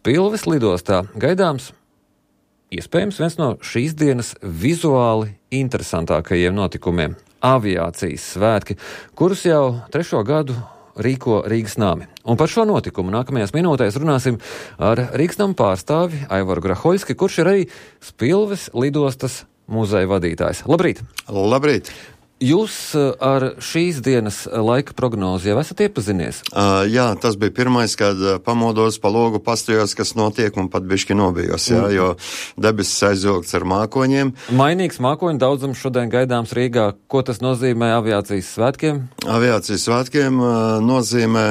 Spilves lidostā gaidāms iespējams viens no šīs dienas vizuāli interesantākajiem notikumiem – aviācijas svētki, kurus jau 3. gadu rīko Rīgas nami. Un par šo notikumu nākamajās minūtēs runāsim ar Rīgas nama pārstāvi Aivaru Grahoļski, kurš ir arī Spilves lidostas muzeja vadītājs. Labrīt! Labrīt! Jūs ar šīs dienas laika prognozi jau esat iepazinies? Jā, tas bija pirmais, kad pamodos pa logu pastījos, kas notiek, un pat bišķi nobijos, jo debesis aizvilkts ar mākoņiem. Mainīgs mākoņu daudzums šodien gaidāms Rīgā. Ko tas nozīmē aviācijas svētkiem? Aviācijas svētkiem nozīmē,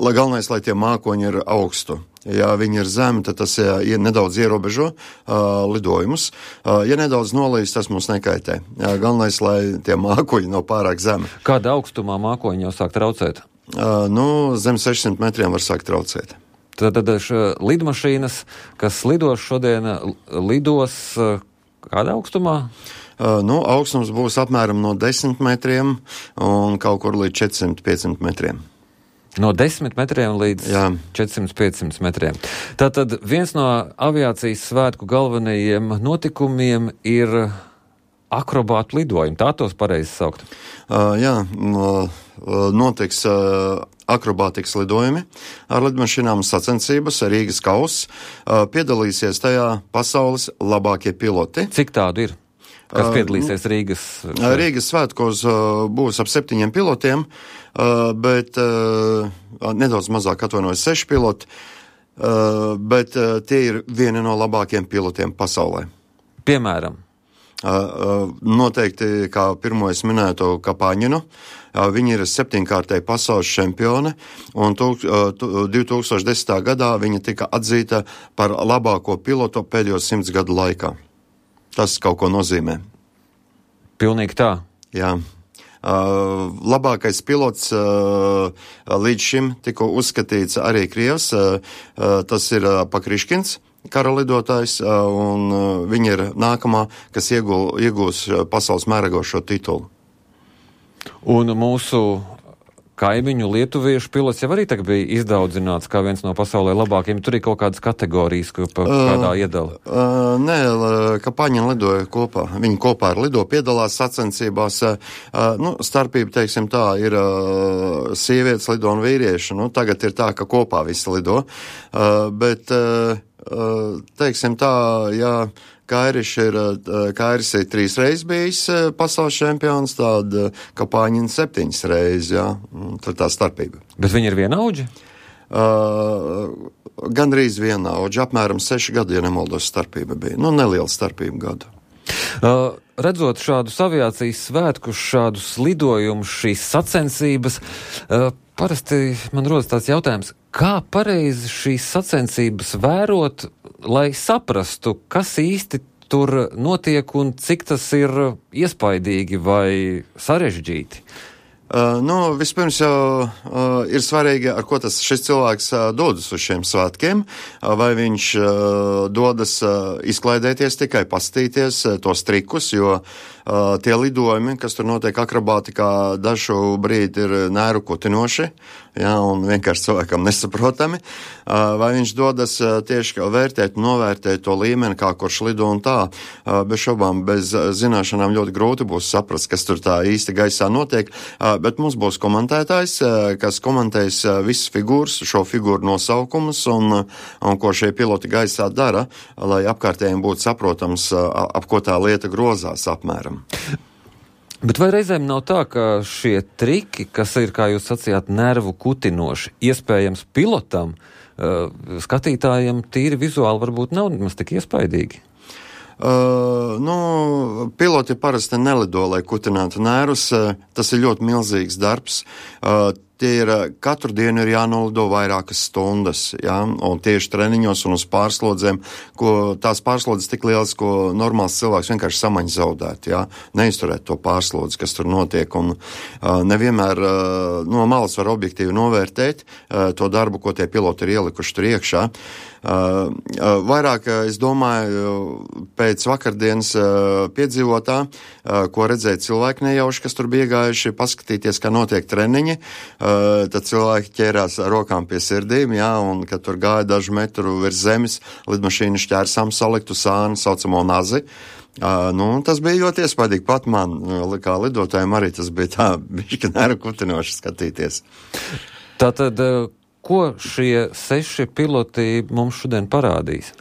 galvenais, lai tie mākoņi ir augstu. Ja viņi ir zemi, tad tas nedaudz ierobežo lidojumus. Ja nedaudz nolīs, tas mums nekaitē. Galvenais, lai tie mākoņi nav pārāk zemi. Kāda augstumā mākoņi jau sāk traucēt? Zem 600 metriem var sākt traucēt. Tad lidmašīnas, kas lidos šodien, lidos kādā augstumā? Augstums būs apmēram no 10 metriem un kaut kur līdz 400-500 metriem. No 10 metriem līdz 400-500 metriem. Tātad viens no aviācijas svētku galvenajiem notikumiem ir akrobātu lidojumi. Tā tos pareizi saukt? Notiks akrobātikas lidojumi ar lidmašīnām sacensības, Rīgas kauss. Piedalīsies tajā pasaules labākie piloti. Cik tādu ir? Kas piedalīsies Rīgas? Rīgas svētkos būs ap 7 pilotiem, bet nedaudz mazāk atvainojas 6 piloti, bet tie ir vieni no labākiem pilotiem pasaulē. Piemēram? Noteikti, kā pirmo es minētu, Kapaņinu. Viņa ir 7-kārtēji pasaules čempione, un 2010. gadā viņa tika atzīta par labāko pilotu pēdējo 100 gadu laikā. Tas kaut ko nozīmē. Pilnīgi tā? Jā. Labākais pilots līdz šim tika uzskatīts arī Krievs. Tas ir Pakriškins, kara lidotājs, un viņa ir nākamā, kas iegūs pasaules mērogošo titulu. Un mūsu kaimiņu lietuviešu pilots jau arī tagad bija izdaudzināts kā viens no pasaulē labākiem. Tur ir kaut kādas kategorijas, kādā iedala. Nē, Kapaņina lidoja kopā. Viņi kopā ar lido piedalās sacensībās. Starpība, teiksim tā, ir sievietes lido un vīrieši. Tagad ir tā, ka kopā visi lido. Bet, teiksim tā, jā, Kairis ir 3 reizes bijis pasaules čempions, tāda Kapaņina 7 reizes, jā. Tur tā starpība. Bet viņi ir vienaudži? Gandrīz vienaudži, apmēram 6 gadu, ja nemaldos, starpība bija. Neliela starpība gadu. Redzot šādus aviācijas svētkus, šādus lidojumus, šīs sacensības, parasti man rodas tāds jautājums, kā pareizi šīs sacensības vērot, lai saprastu, kas īsti tur notiek un cik tas ir iespaidīgi vai sarežģīti? Vispirms jau ir svarīgi, ar ko šis cilvēks dodas uz šiem svētkiem, vai viņš dodas izklaidēties, tikai pastīties tos trikus, jo tie lidojumi, kas tur notiek akrobātikā, dažu brīdi ir nēru kutinoši, un vienkārši cilvēkam nesaprotami, vai viņš dodas tieši vērtēt, novērtēt to līmeni, kā kurš lido un tā. Bez šobām, bez zināšanām ļoti grūti būs saprast, kas tur tā īsti gaisā notiek, bet mums būs komentētājs, kas komentēs visas figūras, šo figūru nosaukumus un ko šie piloti gaisā dara, lai apkārtējiem būtu saprotams, ap ko tā lieta grozās apmēram. Bet vai reizēm nav tā, ka šie triki, kas ir, kā jūs sacījāt, nervu kutinoši, iespējams pilotam, skatītājiem tīri vizuāli varbūt nav nemaz tik iespaidīgi? Piloti parasti nelido, lai kutinātu nervus. Tas ir ļoti milzīgs darbs. Tie ir katru dienu ir jānolido vairākas stundas, un tieši treniņos un uz pārslodzēm, tās pārslodzes tik lielas, ko normāls cilvēks vienkārši samaņ zaudēt, neizturēt to pārslodzi, kas tur notiek, un nevienmēr no malas var objektīvi novērtēt to darbu, ko tie piloti ir ielikuši tur iekšā. Vairāk, es domāju, pēc vakardienas piedzīvotā, ko redzēja cilvēki nejauši, kas tur bija gājuši paskatīties, kā notiek treniņi, tad cilvēki ķērās rokām pie sirdīm, jā, un kad tur gāja dažu metru virs zemes, lidmašīnu šķērsām saliktu sāni, saucamo nazi. Tas bija ļoti iespaidīgi pat man, kā lidotājiem arī tas bija tā, bišķi nervu kutinoši skatīties. Tātad, ko šie 6 piloti mums šodien parādīs?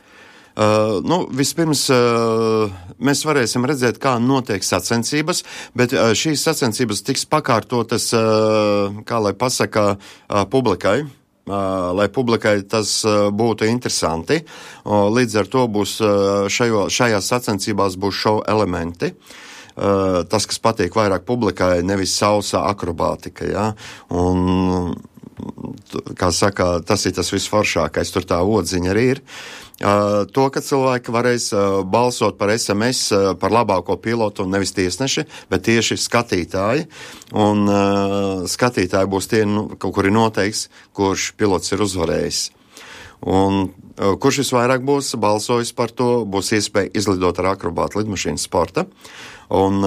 Vispirms mēs varēsim redzēt, kā notiek sacensības, bet šīs sacensības tiks pakārtotas, kā lai pasaka, publikai. Lai publikai tas būtu interesanti. Līdz ar to būs šajās sacensībās būs šovu elementi. Tas, kas patīk vairāk publikai, nevis sausa akrobātika, jā. Un, kā saka, tas ir tas visforšākais, tur tā odziņa arī ir. To, ka cilvēki varēs balsot par SMS, par labāko pilotu, nevis tiesneši, bet tieši skatītāji. Un skatītāji būs tie, kuri noteiks, kurš pilots ir uzvarējis. Un kurš visvairāk būs balsojis par to, būs iespēja izlidot ar akrobātu lidmašīnas sporta. Un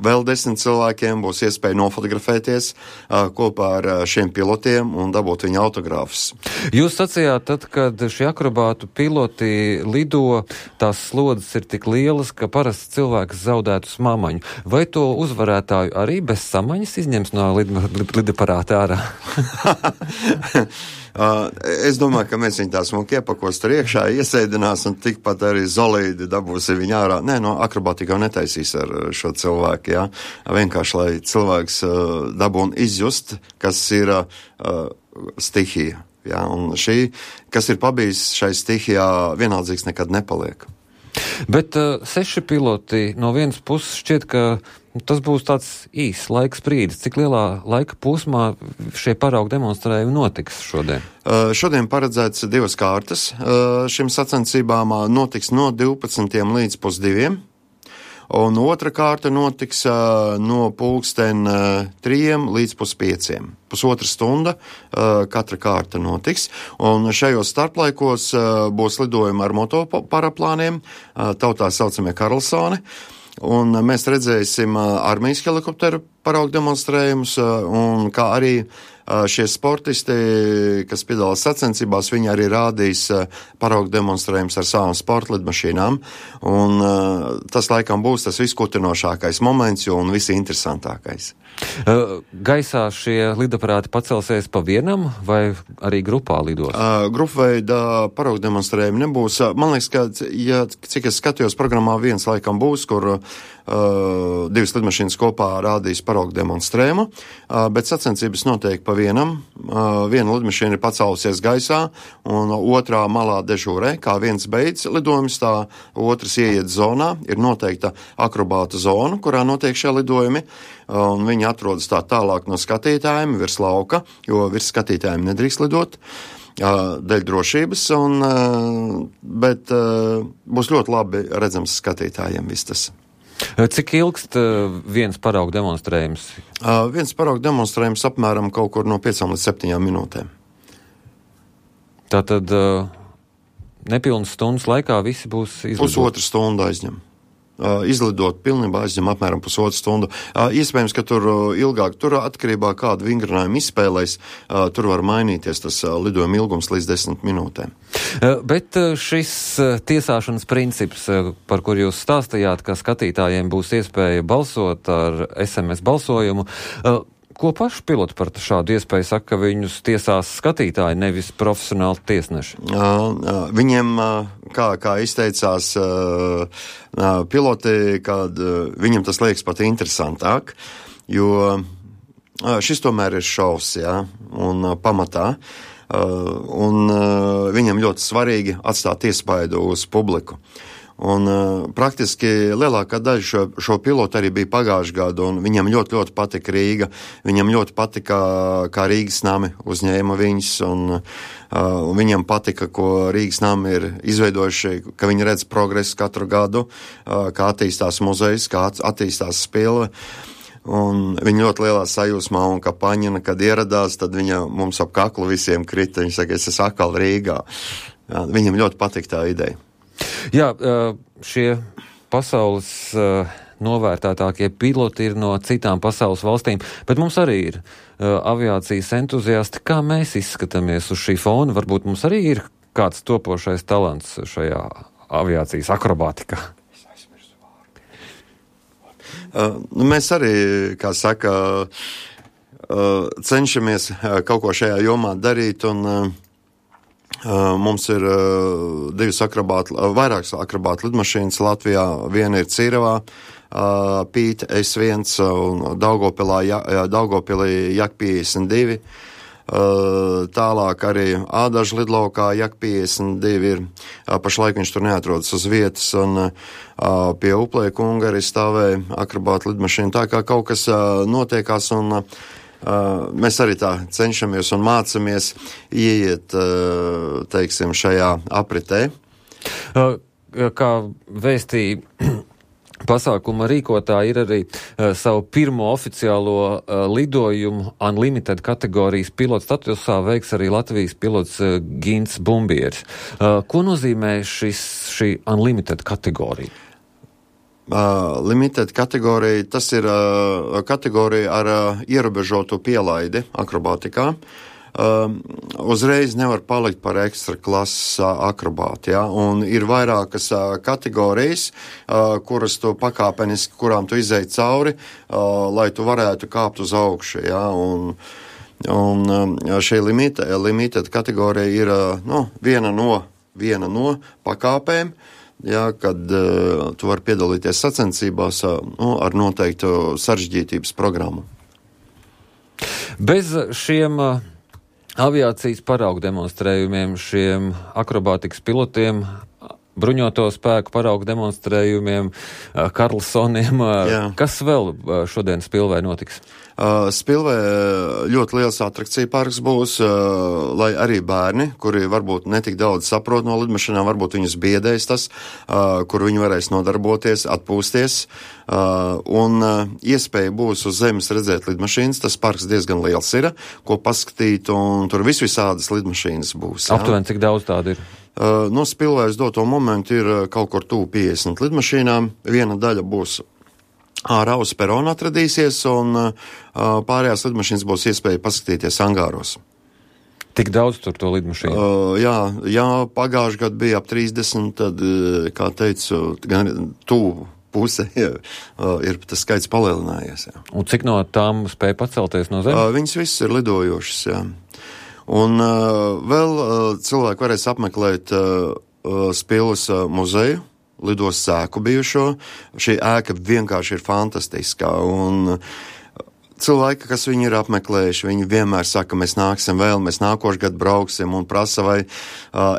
vēl 10 cilvēkiem būs iespēja nofotografēties kopā ar šiem pilotiem un dabūt viņu autogrāfus. Jūs sacījāt, tad, kad šie akrobātu piloti lido, tās slodzes ir tik lielas, ka parasts cilvēks zaudētu smaņu. Vai to uzvarētāju arī bez samaņas izņems no lidaparāta ārā? Es domāju, ka mēs viņu tā smuki iepakos tur iekšā, iesēdinās un tikpat arī zolīdi dabūsi viņu ārā. Nē, akrobātika jau netaisīs ar šo cilvēku, jā. Vienkārši, lai cilvēks dabūn izjust, kas ir stihija, jā. Un šī, kas ir pabijis šai stihijā, vienaldzīgs nekad nepaliek. Bet 6 piloti no vienas puses šķiet, ka tas būs tāds īsts laiks brīdis. Cik lielā laika posmā šie paraugu demonstrējumi notiks šodien? Šodien paredzēts 2 kārtas. Šim sacensībām notiks no 12 līdz 2. Un otra kārta notiks no 3 līdz 5. Pusotra stunda katra kārta notiks. Un šajos starplaikos būs lidojumi ar motoparaplāniem, tautā saucamie Karlsoni. Un mēs redzēsim armijas helikopteru paraugu demonstrējumus, un kā arī šie sportisti, kas piedalās sacensībās, viņi arī rādīs paraugu demonstrējumus ar savām sporta lidmašīnām. Un tas laikam būs tas viskutinošākais moments un visinteresantākais. Gaisā šie lidaparāti pacelsies pa vienam vai arī grupā lidos? Grupveida paraugu demonstrējumi nebūs. Man liekas, ka, cik es skatījos programmā, viens laikam būs, kur 2 lidmašīnas kopā rādīs paraugu demonstrējumu, bet sacensības notiek pa vienam. Viena lidmašīna ir pacēlusies gaisā un otrā malā dežūrē. Kā viens beidz lidojums, tā otrs ieiet zonā. Ir noteikta akrobāta zona, kurā notiek šie lidojumi. Un viņi atrodas tā tālāk no skatītājiem virs lauka, jo virs skatītājiem nedrīkst lidot dēļ drošības, bet būs ļoti labi redzams skatītājiem viss tas. Cik ilgst viens paraugu demonstrējums? Viens paraugu demonstrējums apmēram kaut kur no 5 līdz 7 minūtēm. Tātad nepilnas stundas laikā visi būs izlidot? Pusotra stunda aizņem. Izlidot pilnībā aizņem apmēram pusotru stundu. Iespējams, ka tur ilgāk, tur atkarībā kādu vingrinājumu izspēlēs, tur var mainīties tas lidojuma ilgums līdz 10 minūtēm. Bet šis tiesāšanas princips, par kur jūs stāstījāt, ka skatītājiem būs iespēja balsot ar SMS balsojumu, ko paši piloti par šādu iespēju saka, ka viņus tiesās skatītāji, nevis profesionāli tiesneši? Viņiem, kā izteicās piloti, kad viņam tas liekas pat interesantāk, jo šis tomēr ir šovs, jā, un pamatā, un viņam ļoti svarīgi atstāt iespaidu uz publiku. Un praktiski lielākā daļa šo pilotu arī bija pagājušajā gadu, un viņam ļoti patika Rīga. Viņam ļoti patika, kā Rīgas nami uzņēma viņus, un viņam patika, ko Rīgas nami ir izveidojuši, ka viņi redz progresu katru gadu, kā attīstās muzejs, kā attīstās spilve. Un viņa ļoti lielā sajūsmā, un kā Paņina, kad ieradās, tad viņa mums ap kaklu visiem krita. Viņa saka, es esmu atkal Rīgā. Viņam ļoti patika tā ideja. Jā, šie pasaules novērtētākie piloti ir no citām pasaules valstīm, bet mums arī ir aviācijas entuziasti. Kā mēs izskatāmies uz šī fona? Varbūt mums arī ir kāds topošais talants šajā aviācijas akrobātikā? Mēs arī, kā saka, cenšamies kaut ko šajā jomā darīt, un mums ir vairākas akrobātu lidmašīnas Latvijā. Viena ir Cīravā, Pīta S1 un Daugavpilī Jak 52. Tālāk arī Ādažu lidlaukā Jak 52 ir. Pašlaik viņš tur neatrodas uz vietas, un pie Uplē kunga arī stāvēja akrobātu lidmašīna. Tā kā kaut kas notiekās, un mēs arī tā cenšamies un mācamies ieiet, teiksim, šajā apritē. Kā vēstīja pasākuma rīkotāji, ir arī savu pirmo oficiālo lidojumu Unlimited kategorijas pilots statusā veiks arī Latvijas pilots Gints Bumbieris. Ko nozīmē šī Unlimited kategorija? Limited kategorija, tas ir kategorija ar ierobežotu pielaidi akrobātikā. Uzreiz nevar palikt par ekstra klases akrobātu, ja? Un ir vairākas kategorijas, kuras tu pakāpeniski, kurām tu izej cauri, lai tu varētu kāpt uz augšu, ja? Un šī limited kategorija ir viena no pakāpēm, ja, kad tu vari piedalīties sacensībās ar noteiktu sarežģītības programmu. Bez šiem aviācijas paraugu demonstrējumiem, šiem akrobātikas pilotiem, bruņoto spēku paraugu demonstrējumiem, Karlsoniem, kas vēl šodien Spilvē notiks? Spilvē ļoti liels atrakcija parks būs, lai arī bērni, kuri varbūt netik daudz saprot no lidmašīnām, varbūt viņus biedēs tas, kur viņi varēs nodarboties, atpūsties, un iespēja būs uz zemes redzēt lidmašīnas. Tas parks diezgan liels ir, ko paskatīt, un tur visādas lidmašīnas būs. Aptuveni cik daudz tādu ir? No Spilvē uz doto momentu ir kaut kur tuvu 50 lidmašīnām. Viena daļa būs ārā uz perona atradīsies, un pārējās lidmašīnas būs iespēja paskatīties angāros. Tik daudz tur to lidmašīnu? Jā, pagājuši gadu bija ap 30, tad, kā teicu, gan tuvu puse ir tas skaits palielinājies. Jā. Un cik no tām spēja pacelties no zemes? Viņas visas ir lidojošas, jā. Un vēl cilvēki varēs apmeklēt Spilves muzeju, lidos sēku bijušo. Šī ēka vienkārši ir fantastiskā, un cilvēki, kas viņu ir apmeklējuši, viņi vienmēr saka, mēs nāksim vēl, mēs nākošu gadu brauksim, un prasa, vai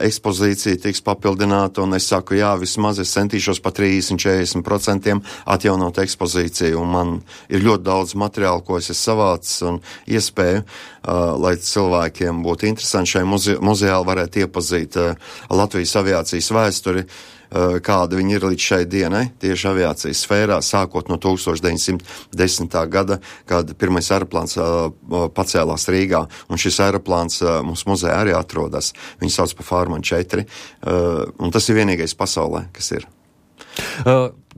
ekspozīcija tiks papildināta, un es saku, jā, vismaz es centīšos pa 30-40% atjaunot ekspozīciju, un man ir ļoti daudz materiālu, ko es savācis, un iespēju, lai cilvēkiem būtu interesanti šai muzejā varētu iepazīt Latvijas aviācijas vēsturi, kāda viņi ir līdz šai dienai, tieši aviācijas sfērā, sākot no 1910. gada, kad pirmais aeroplāns pacēlās Rīgā, un šis aeroplāns mums muzejā arī atrodas. Viņu sauc par Farman 4, un tas ir vienīgais pasaulē, kas ir.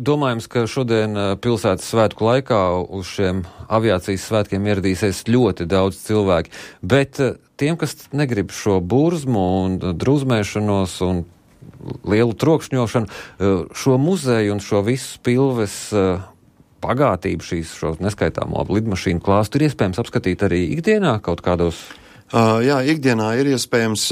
Domājams, ka šodien pilsētas svētku laikā uz šiem aviācijas svētkiem ieradīsies ļoti daudz cilvēki, bet tiem, kas negrib šo burzmu un drūzmēšanos un lielu trokšņošanu, šo muzeju un šo visu Spilves pagātību, šo neskaitāmo lidmašīnu klāstu ir iespējams apskatīt arī ikdienā kaut kādos? Jā, ikdienā ir iespējams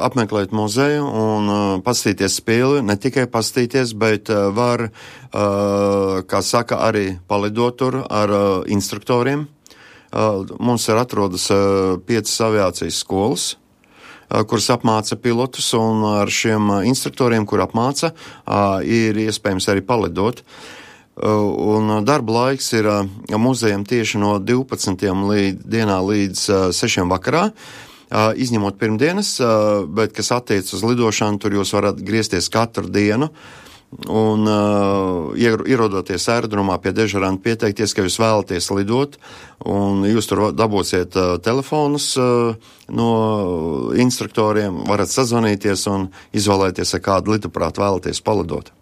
apmeklēt muzeju un paskatīties Spilvi, ne tikai paskatīties, bet var, kā saka, arī palidot tur ar instruktoriem. Mums ir atrodas 5 aviācijas skolas, kuras apmāca pilotus, un ar šiem instruktoriem, kur apmāca, ir iespējams arī palidot. Un darba laiks ir muzejam tieši no 12. dienā līdz 6. vakarā, izņemot pirmdienas, bet kas attiec uz lidošanu, tur jūs varat griezties katru dienu, un ierodoties aerodromā pie dežuranta pieteikties, ka jūs vēlaties lidot, un jūs tur dabūsiet telefonus no instruktoriem, varat sazvanīties un izvēlēties, ar kādu lidaprātu vēlaties palidot.